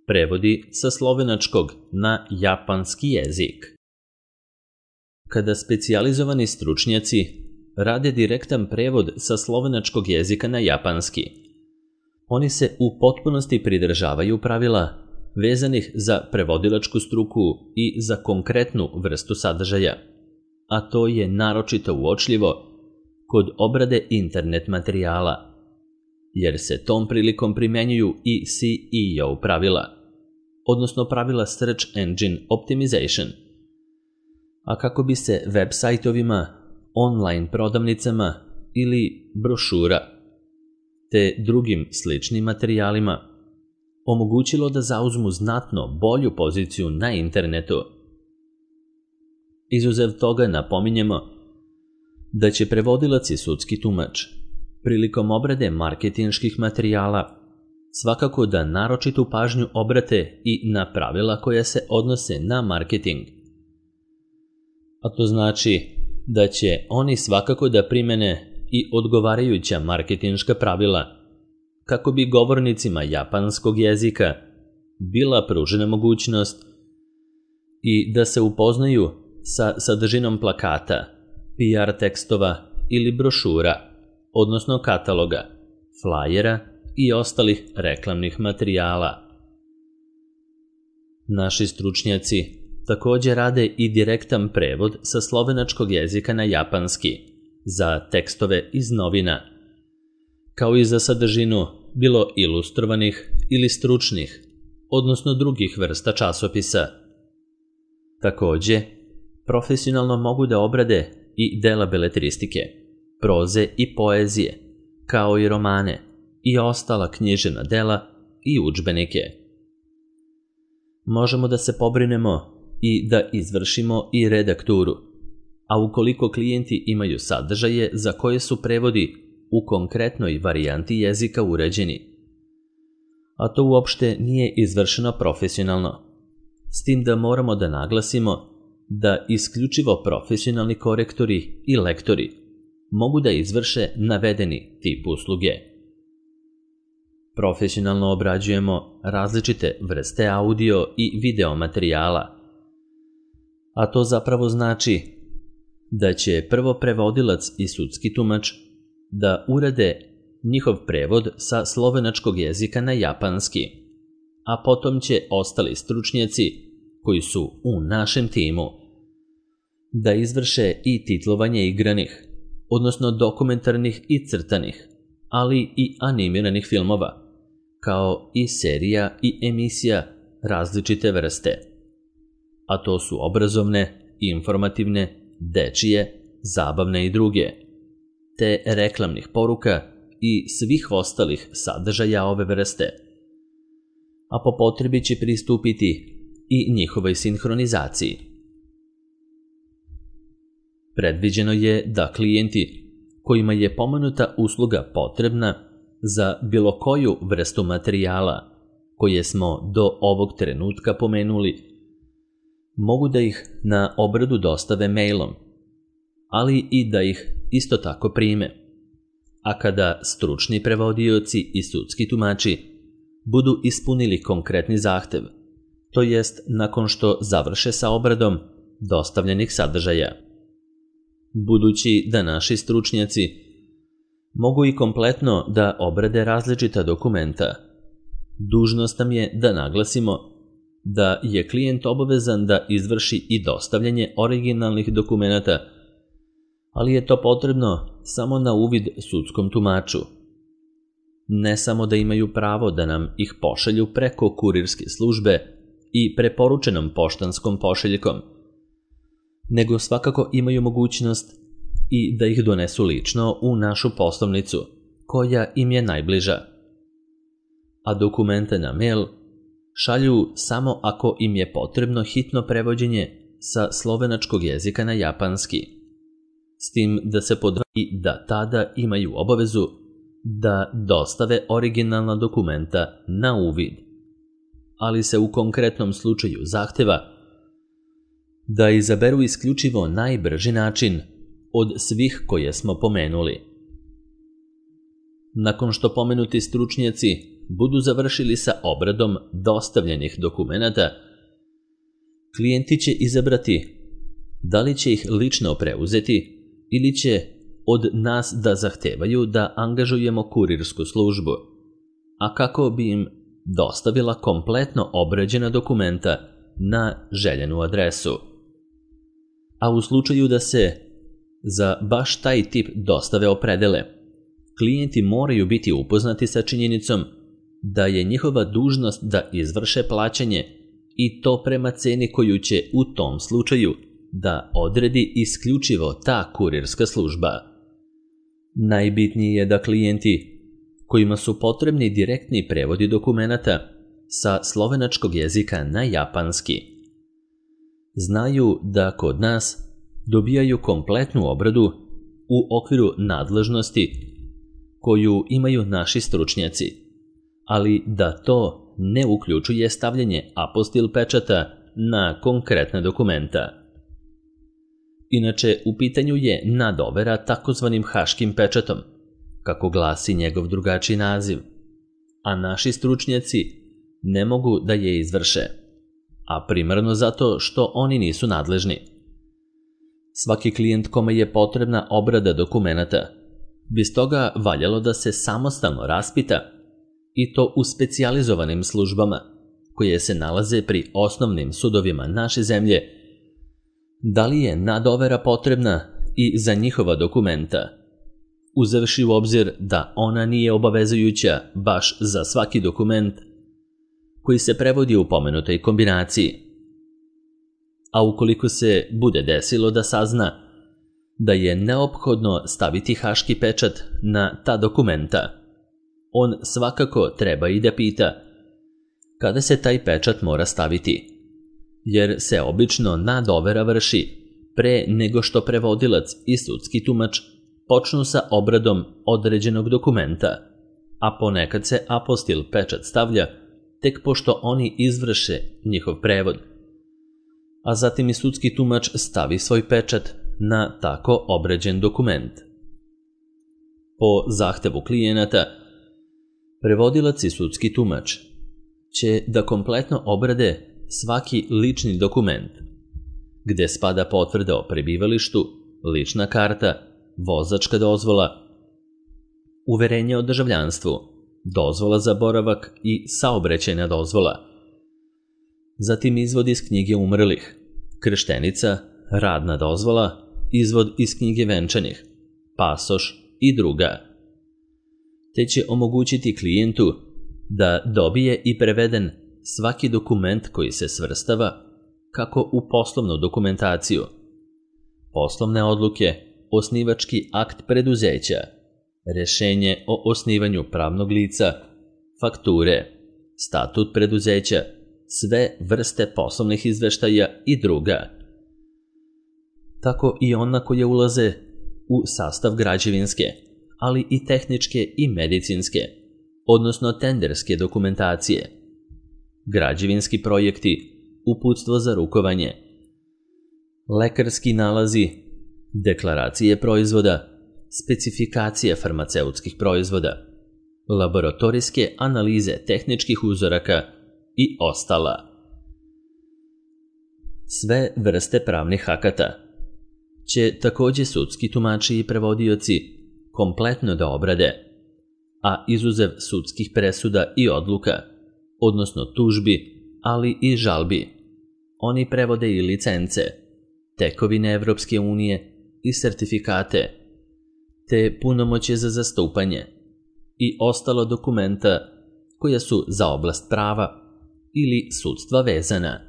Prevodi sa slovenačkog na japanski jezik. Kada specijalizovani stručnjaci rade direktan prevod sa slovenačkog jezika na japanski, oni se u potpunosti pridržavaju pravila vezanih za prevodilačku struku i za konkretnu vrstu sadržaja, a to je naročito uočljivo kod obrade internet materijala, jer se tom prilikom primenjuju i SEO pravila, odnosno pravila Search Engine Optimization. A kako bi se web sajtovima, online prodavnicama ili brošura te drugim sličnim materijalima omogućilo da zauzmu znatno bolju poziciju na internetu. Izuzev toga napominjemo da će prevodilac i sudski tumač prilikom obrade marketinških materijala svakako da naročitu pažnju obrate i na pravila koja se odnose na marketing. A to znači da će oni svakako da primene i odgovarajuća marketinška pravila kako bi govornicima japanskog jezika bila pružena mogućnost i da se upoznaju sa sadržinom plakata, PR tekstova ili brošura, odnosno kataloga, flajera i ostalih reklamnih materijala. Naši stručnjaci također rade i direktan prevod sa slovenačkog jezika na japanski za tekstove iz novina, kao i za sadržinu bilo ilustrovanih ili stručnih, odnosno drugih vrsta časopisa. Također, profesionalno mogu da obrade i dela beletristike, proze i poezije, kao i romane i ostala književna dela i udžbenike. Možemo da se pobrinemo i da izvršimo i redakturu, a ukoliko klijenti imaju sadržaje za koje su prevodi u konkretnoj varijanti jezika uređeni, a to uopšte nije izvršeno profesionalno, s tim da moramo da naglasimo da isključivo profesionalni korektori i lektori mogu da izvrše navedeni tip usluge. Profesionalno obrađujemo različite vrste audio i video materijala, a to zapravo znači da će prvo prevodilac i sudski tumač da urade njihov prevod sa slovenačkog jezika na japanski, a potom će ostali stručnjaci koji su u našem timu da izvrše i titlovanje igranih, odnosno dokumentarnih i crtanih, ali i animiranih filmova, kao i serija i emisija različite vrste. A to su obrazovne, informativne, dečije, zabavne i druge, te reklamnih poruka i svih ostalih sadržaja ove vrste. A po potrebi će pristupiti i njihovoj sinhronizaciji. Predviđeno je da klijenti kojima je pomenuta usluga potrebna za bilo koju vrstu materijala koje smo do ovog trenutka pomenuli, mogu da ih na obradu dostave mailom, ali i da ih isto tako prime. A kada stručni prevodioci i sudski tumači budu ispunili konkretni zahtev, to jest nakon što završe sa obradom dostavljenih sadržaja. Budući da naši stručnjaci mogu i kompletno da obrade različita dokumenta, dužnost nam je da naglasimo da je klijent obavezan da izvrši i dostavljanje originalnih dokumenata, ali je to potrebno samo na uvid sudskom tumaču. Ne samo da imaju pravo da nam ih pošalju preko kurirske službe i preporučenom poštanskom pošiljkom, nego svakako imaju mogućnost i da ih donesu lično u našu poslovnicu, koja im je najbliža. A dokumente na mail šalju samo ako im je potrebno hitno prevođenje sa slovenačkog jezika na japanski, s tim da se podvodi da tada imaju obavezu da dostave originalna dokumenta na uvid, ali se u konkretnom slučaju zahteva da izaberu isključivo najbrži način od svih koje smo pomenuli. Nakon što pomenuti stručnjaci budu završili sa obradom dostavljenih dokumenata, klijenti će izabrati da li će ih lično preuzeti ili će od nas da zahtevaju da angažujemo kurirsku službu, a kako bi im dostavila kompletno obrađena dokumenta na željenu adresu. A u slučaju da se za baš taj tip dostave opredele, klijenti moraju biti upoznati sa činjenicom da je njihova dužnost da izvrše plaćanje i to prema ceni koju će u tom slučaju da odredi isključivo ta kurirska služba. Najbitnije je da klijenti kojima su potrebni direktni prevodi dokumenata sa slovenačkog jezika na japanski znaju da kod nas dobijaju kompletnu obradu u okviru nadležnosti koju imaju naši stručnjaci, ali da to ne uključuje stavljanje apostil pečata na konkretna dokumenta. Inače, u pitanju je nadovera takozvanim haškim pečatom, kako glasi njegov drugačiji naziv, a naši stručnjaci ne mogu da je izvrše, a primarno zato što oni nisu nadležni. Svaki klijent kome je potrebna obrada dokumenata bi stoga valjalo da se samostalno raspita i to u specijalizovanim službama koje se nalaze pri osnovnim sudovima naše zemlje, da li je nadovera potrebna i za njihova dokumenta, uzevši u obzir da ona nije obavezujuća baš za svaki dokument koji se prevodi u pomenutoj kombinaciji. A ukoliko se bude desilo da sazna da je neophodno staviti haški pečat na ta dokumenta, on svakako treba i da pita kada se taj pečat mora staviti, jer se obično nadovera vrši pre nego što prevodilac i sudski tumač počnu sa obradom određenog dokumenta, a ponekad se apostil pečat stavlja tek pošto oni izvrše njihov prevod, a zatim i sudski tumač stavi svoj pečat na tako obrađen dokument. Po zahtevu klijenata, prevodilac i sudski tumač će da kompletno obrade svaki lični dokument, gde spada potvrda o prebivalištu, lična karta, vozačka dozvola, uverenje o državljanstvu, dozvola za boravak i saobraćajna dozvola, zatim izvod iz knjige umrlih, krštenica, radna dozvola, izvod iz knjige venčanih, pasoš i druga. Te će omogućiti klijentu da dobije i preveden svaki dokument koji se svrstava kako u poslovnu dokumentaciju, poslovne odluke, osnivački akt preduzeća, rešenje o osnivanju pravnog lica, fakture, statut preduzeća, sve vrste poslovnih izveštaja i druga. Tako i ona koje ulaze u sastav građevinske, ali i tehničke i medicinske, odnosno tenderske dokumentacije, građevinski projekti, uputstvo za rukovanje, lekarski nalazi, deklaracije proizvoda, specifikacije farmaceutskih proizvoda, laboratorijske analize tehničkih uzoraka i ostala. Sve vrste pravnih akata će takođe sudski tumači i prevodioci kompletno da obrade, a izuzev sudskih presuda i odluka, odnosno tužbi, ali i žalbi, oni prevode i licence, tekovine Evropske unije i sertifikate, te punomoćje za zastupanje i ostala dokumenta koja su za oblast prava ili sudstva vezana.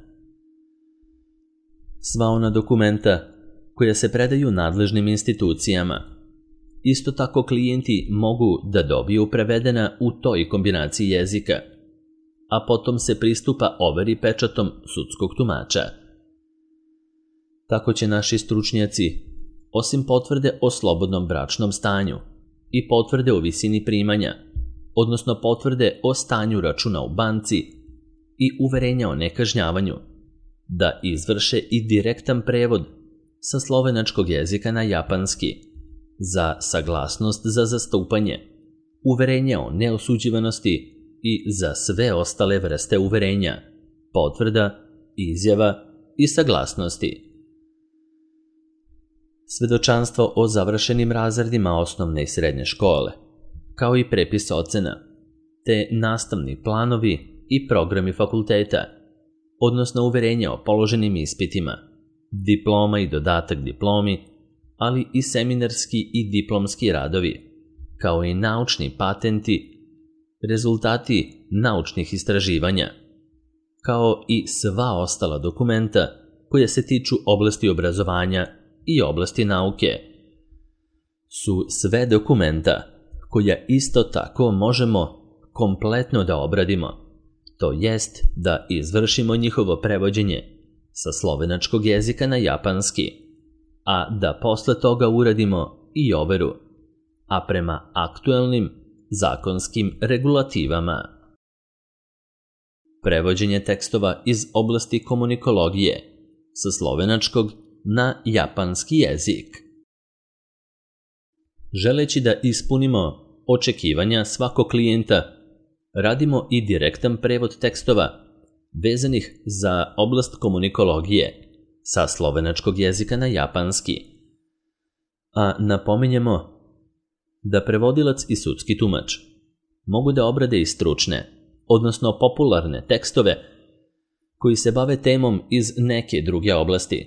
Sva ona dokumenta koja se predaju nadležnim institucijama, isto tako klijenti mogu da dobiju prevedena u toj kombinaciji jezika, a potom se pristupa overi pečatom sudskog tumača. Tako će naši stručnjaci, osim potvrde o slobodnom bračnom stanju i potvrde o visini primanja, odnosno potvrde o stanju računa u banci i uverenja o nekažnjavanju, da izvrše i direktan prevod sa slovenačkog jezika na japanski za saglasnost za zastupanje, uverenje o neosuđivanosti i za sve ostale vrste uverenja, potvrda, izjava i saglasnosti. Svedočanstvo o završenim razredima osnovne i srednje škole, kao i prepis ocena, te nastavni planovi i programi fakulteta, odnosno uverenja o položenim ispitima, diploma i dodatak diplomi, ali i seminarski i diplomski radovi, kao i naučni patenti, rezultati naučnih istraživanja, kao i sva ostala dokumenta koja se tiču oblasti obrazovanja i oblasti nauke, su sve dokumenta koja isto tako možemo kompletno da obradimo, to jest da izvršimo njihovo prevođenje sa slovenačkog jezika na japanski, a da posle toga uradimo i overu, a prema aktuelnim zakonskim regulativama. Prevođenje tekstova iz oblasti komunikologije sa slovenačkog na japanski jezik. Želeći da ispunimo očekivanja svakog klijenta, radimo i direktan prevod tekstova vezanih za oblast komunikologije sa slovenačkog jezika na japanski. A napominjemo da prevodilac i sudski tumač mogu da obrade i stručne, odnosno popularne tekstove koji se bave temom iz neke druge oblasti.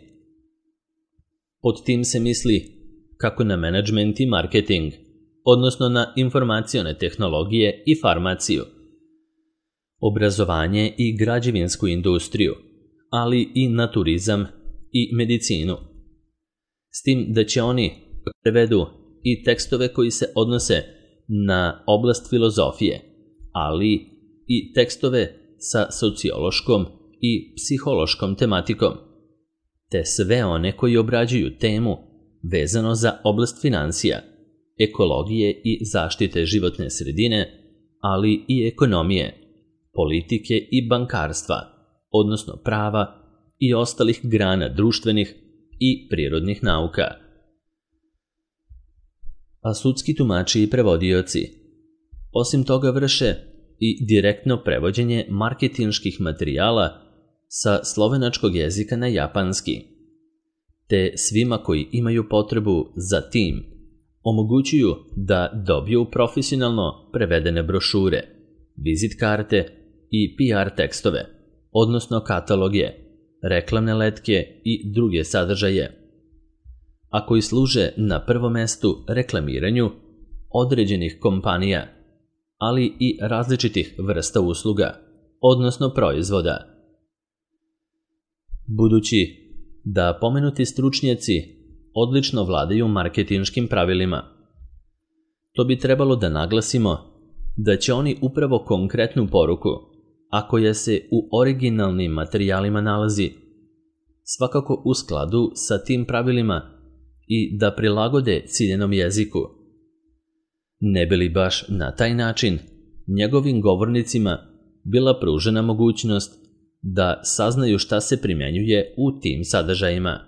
Pod tim se misli kako na menadžment i marketing, odnosno na informacione tehnologije i farmaciju, obrazovanje i građevinsku industriju, ali i na turizam i medicinu. S tim da će oni prevedu i tekstove koji se odnose na oblast filozofije, ali i tekstove sa sociološkom i psihološkom tematikom, te sve one koji obrađuju temu vezano za oblast finansija, ekologije i zaštite životne sredine, ali i ekonomije, politike i bankarstva, odnosno prava i ostalih grana društvenih i prirodnih nauka. A sudski tumači i prevodioci osim toga vrše i direktno prevođenje marketinških materijala sa slovenačkog jezika na japanski, te svima koji imaju potrebu za tim omogućuju da dobiju profesionalno prevedene brošure, vizit karte i PR tekstove, odnosno kataloge, reklamne letke i druge sadržaje, a koji služe na prvom mestu reklamiranju određenih kompanija, ali i različitih vrsta usluga, odnosno proizvoda. Budući da pomenuti stručnjaci odlično vladaju marketinškim pravilima, to bi trebalo da naglasimo da će oni upravo konkretnu poruku, a koja se u originalnim materijalima nalazi, svakako u skladu sa tim pravilima i da prilagode ciljenom jeziku, ne bi li baš na taj način njegovim govornicima bila pružena mogućnost da saznaju šta se primjenjuje u tim sadržajima.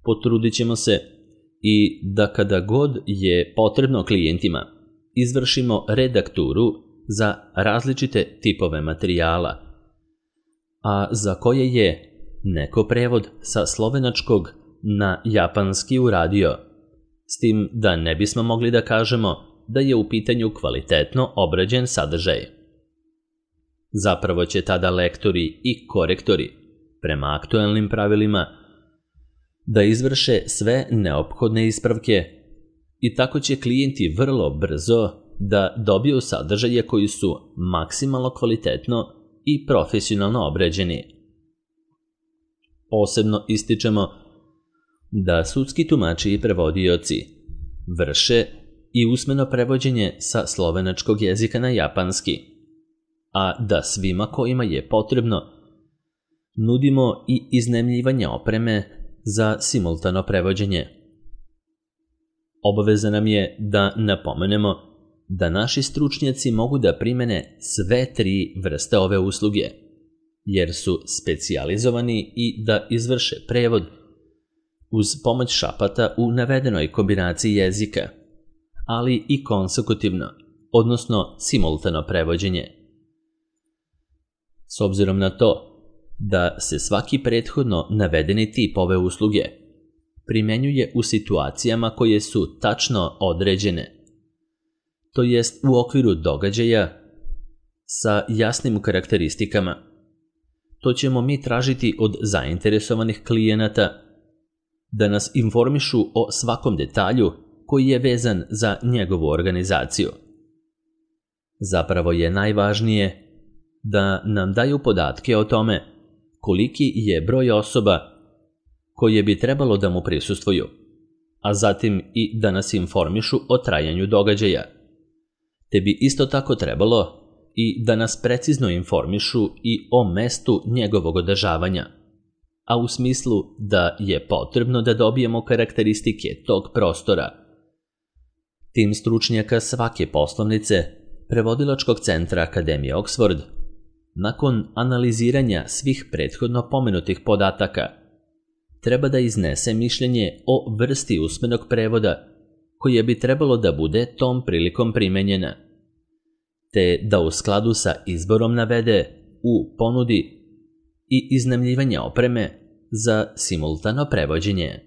Potrudit ćemo se i da kada god je potrebno klijentima, izvršimo redakturu za različite tipove materijala, a za koje je neko prevod sa slovenačkog na japanski uradio, s tim da ne bismo mogli da kažemo da je u pitanju kvalitetno obrađen sadržaj. Zapravo će tada lektori i korektori, prema aktuelnim pravilima, da izvrše sve neophodne ispravke i tako će klijenti vrlo brzo da dobiju sadržaje koji su maksimalno kvalitetno i profesionalno obrađeni. Posebno ističemo da sudski tumači i prevodioci vrše i usmeno prevođenje sa slovenačkog jezika na japanski, a da svima kojima je potrebno nudimo i iznajmljivanje opreme za simultano prevođenje. Obaveza nam je da napomenemo da naši stručnjaci mogu da primene sve tri vrste ove usluge, jer su specijalizovani i da izvrše prevod uz pomoć šapata u navedenoj kombinaciji jezika, ali i konsekutivno, odnosno simultano prevođenje. S obzirom na to da se svaki prethodno navedeni tip ove usluge primjenjuje u situacijama koje su tačno određene, to jest u okviru događaja sa jasnim karakteristikama, to ćemo mi tražiti od zainteresovanih klijenata da nas informišu o svakom detalju koji je vezan za njegovu organizaciju. Zapravo je najvažnije da nam daju podatke o tome koliki je broj osoba koje bi trebalo da mu prisustvuju, a zatim i da nas informišu o trajanju događaja, te bi isto tako trebalo i da nas precizno informišu i o mestu njegovog održavanja, a u smislu da je potrebno da dobijemo karakteristike tog prostora. Tim stručnjaka svake poslovnice prevodilačkog centra Akademije Oxford, nakon analiziranja svih prethodno pomenutih podataka, treba da iznese mišljenje o vrsti usmenog prevoda koja bi trebalo da bude tom prilikom primenjena, te da u skladu sa izborom navede u ponudi i iznajmljivanje opreme za simultano prevođenje.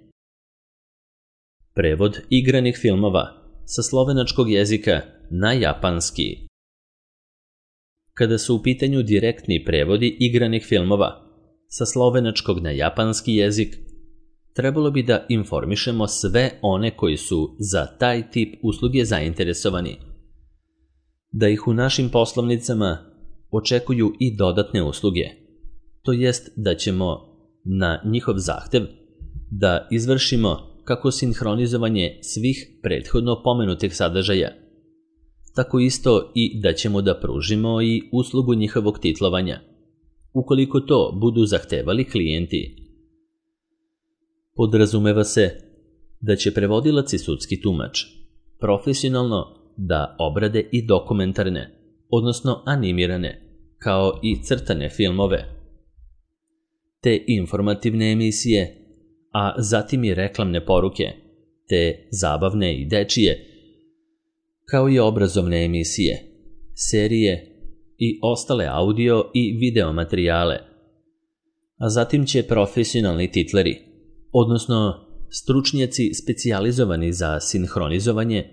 Prevod igranih filmova sa slovenačkog jezika na japanski. Kada su u pitanju direktni prevodi igranih filmova sa slovenačkog na japanski jezik, trebalo bi da informišemo sve one koji su za taj tip usluge zainteresovani, da ih u našim poslovnicama očekuju i dodatne usluge, to jest da ćemo na njihov zahtev da izvršimo kako sinhronizovanje svih prethodno pomenutih sadržaja, tako isto i da ćemo da pružimo i uslugu njihovog titlovanja, ukoliko to budu zahtevali klijenti. Podrazumeva se da će prevodilac i sudski tumač profesionalno da obrade i dokumentarne, odnosno animirane, kao i crtane filmove, te informativne emisije, a zatim i reklamne poruke, te zabavne i dečije, kao i obrazovne emisije, serije i ostale audio i video materijale. A zatim će profesionalni titleri, odnosno stručnjaci specijalizovani za sinhronizovanje,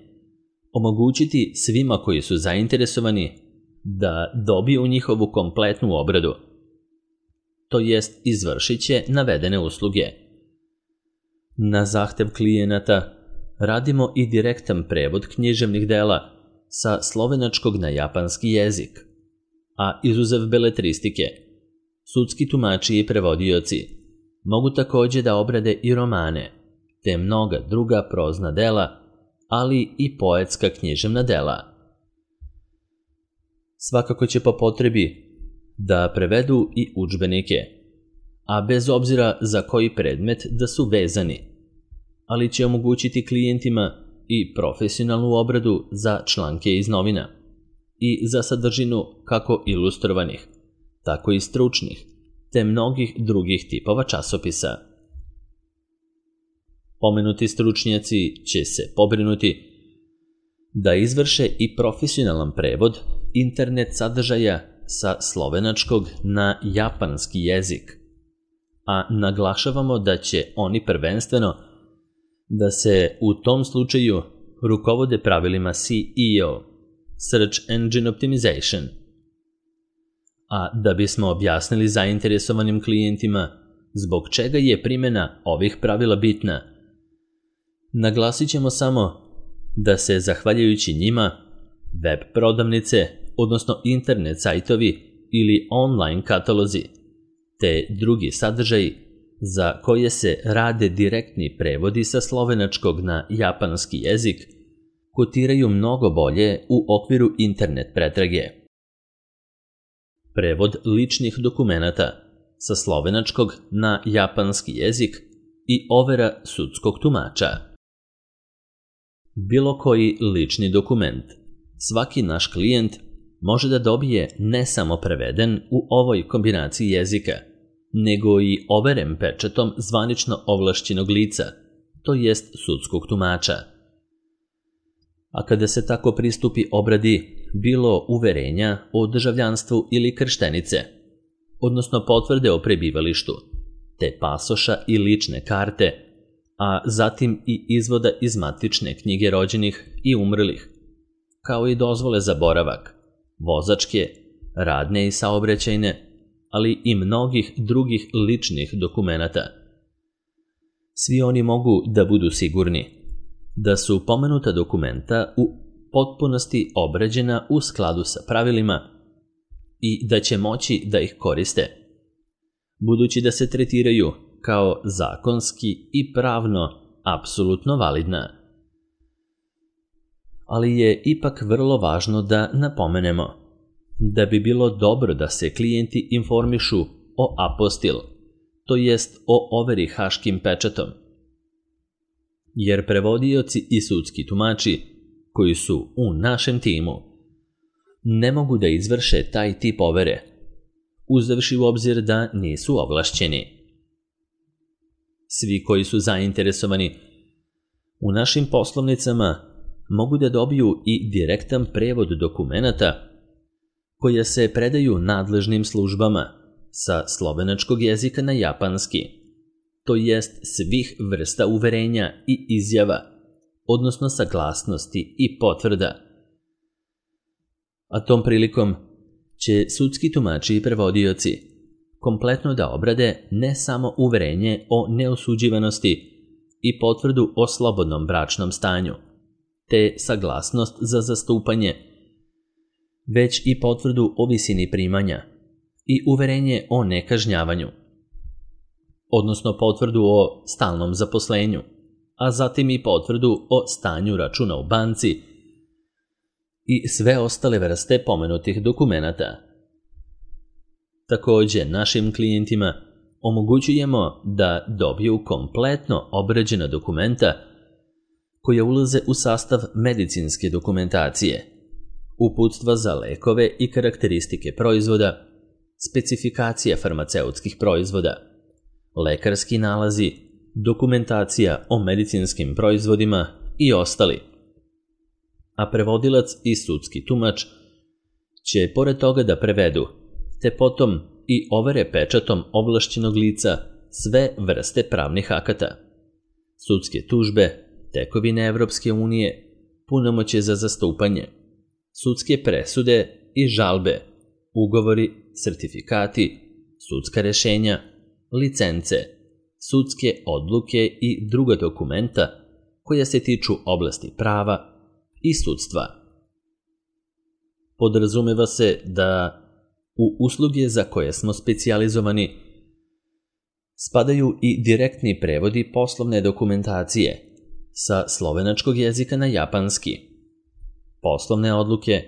omogućiti svima koji su zainteresovani da dobiju njihovu kompletnu obradu, to jest izvršit će navedene usluge. Na zahtev klijenata radimo i direktan prevod književnih dela sa slovenačkog na japanski jezik, a izuzev beletristike, sudski tumači i prevodioci mogu također da obrade i romane, te mnoga druga prozna dela, ali i poetska književna dela. Svakako će po potrebi da prevedu i udžbenike, a bez obzira za koji predmet da su vezani, ali će omogućiti klijentima i profesionalnu obradu za članke iz novina i za sadržinu kako ilustrovanih, tako i stručnih, te mnogih drugih tipova časopisa. Pomenuti stručnjaci će se pobrinuti da izvrše i profesionalan prevod internet sadržaja sa slovenačkog na japanski jezik, a naglašavamo da će oni prvenstveno da se u tom slučaju rukovode pravilima SEO, Search Engine Optimization. A da bismo objasnili zainteresovanim klijentima zbog čega je primjena ovih pravila bitna, naglasit ćemo samo da se, zahvaljujući njima, web prodavnice, odnosno internet sajtovi ili online katalozi, te drugi sadržaji za koje se rade direktni prevodi sa slovenačkog na japanski jezik, kotiraju mnogo bolje u okviru internet pretrage. Prevod ličnih dokumenata sa slovenačkog na japanski jezik i overa sudskog tumača. Bilo koji lični dokument svaki naš klijent može da dobije ne samo preveden u ovoj kombinaciji jezika, nego i overen pečatom zvanično ovlašćenog lica, to jest sudskog tumača. A kada se tako pristupi obradi bilo uverenja o državljanstvu ili krštenice, odnosno potvrde o prebivalištu, te pasoša i lične karte, a zatim i izvoda iz matične knjige rođenih i umrlih, kao i dozvole za boravak, vozačke, radne i saobraćajne, ali i mnogih drugih ličnih dokumenata. Svi oni mogu da budu sigurni da su pomenuta dokumenta u potpunosti obrađena u skladu sa pravilima i da će moći da ih koriste, budući da se tretiraju kao zakonski i pravno apsolutno validna. Ali je ipak vrlo važno da napomenemo da bi bilo dobro da se klijenti informišu o apostil, to jest o overi haškim pečatom, jer prevodioci i sudski tumači koji su u našem timu ne mogu da izvrše taj tip overe, uzevši u obzir da nisu ovlašćeni. Svi koji su zainteresovani u našim poslovnicama mogu da dobiju i direktan prevod dokumenata koje se predaju nadležnim službama sa slovenačkog jezika na japanski, to jest svih vrsta uverenja i izjava, odnosno saglasnosti i potvrda. A tom prilikom će sudski tumači i prevodioci kompletno da obrade ne samo uverenje o neosuđivanosti i potvrdu o slobodnom bračnom stanju, te saglasnost za zastupanje, već i potvrdu o visini primanja i uverenje o nekažnjavanju, odnosno potvrdu o stalnom zaposlenju, a zatim i potvrdu o stanju računa u banci i sve ostale vrste pomenutih dokumenata. Takođe, našim klijentima omogućujemo da dobiju kompletno obrađena dokumenta koja ulaze u sastav medicinske dokumentacije, uputstva za lekove i karakteristike proizvoda, specifikacija farmaceutskih proizvoda, lekarski nalazi, dokumentacija o medicinskim proizvodima i ostali. A prevodilac i sudski tumač će pored toga da prevedu, te potom i overe pečatom ovlašćenog lica sve vrste pravnih akata, sudske tužbe, tekovine Evropske unije, punomoćje za zastupanje, sudske presude i žalbe, ugovori, sertifikati, sudska rešenja, licence, sudske odluke i druga dokumenta koja se tiču oblasti prava i sudstva. Podrazumeva se da u usluge za koje smo specijalizovani spadaju i direktni prevodi poslovne dokumentacije sa slovenačkog jezika na japanski, poslovne odluke,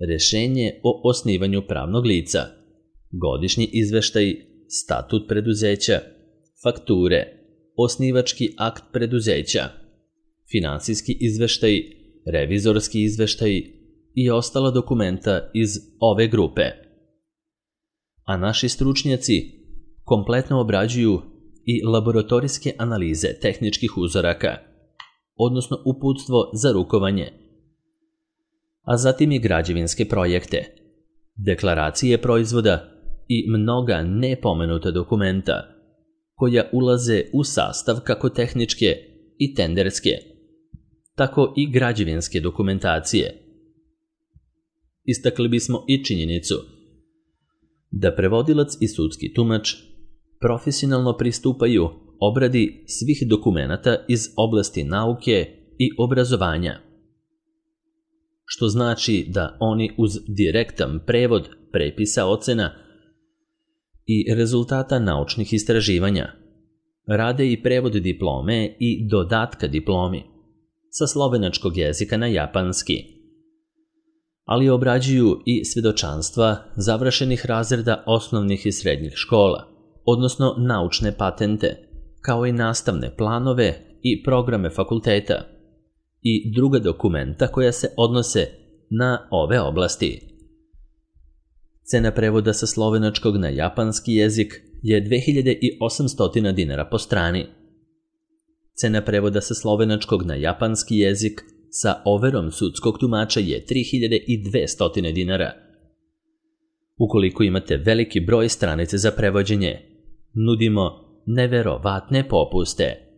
rešenje o osnivanju pravnog lica, godišnji izveštaj, statut preduzeća, fakture, osnivački akt preduzeća, finansijski izveštaj, revizorski izveštaj i ostala dokumenta iz ove grupe. A naši stručnjaci kompletno obrađuju i laboratorijske analize tehničkih uzoraka, odnosno uputstvo za rukovanje, a zatim i građevinske projekte, deklaracije proizvoda i mnoga nepomenuta dokumenta koja ulaze u sastav kako tehničke i tenderske, tako i građevinske dokumentacije. Istakli bismo i činjenicu da prevodilac i sudski tumač profesionalno pristupaju obradi svih dokumenata iz oblasti nauke i obrazovanja, što znači da oni uz direktan prevod prepisa ocena i rezultata naučnih istraživanja rade i prevod diplome i dodatka diplomi sa slovenačkog jezika na japanski, ali obrađuju i svedočanstva završenih razreda osnovnih i srednjih škola, odnosno naučne patente, kao i nastavne planove i programe fakulteta i druga dokumenta koja se odnose na ove oblasti. Cena prevoda sa slovenačkog na japanski jezik je 2800 dinara po strani. Cena prevoda sa slovenačkog na japanski jezik sa overom sudskog tumača je 3200 dinara. Ukoliko imate veliki broj stranica za prevođenje, nudimo neverovatne popuste.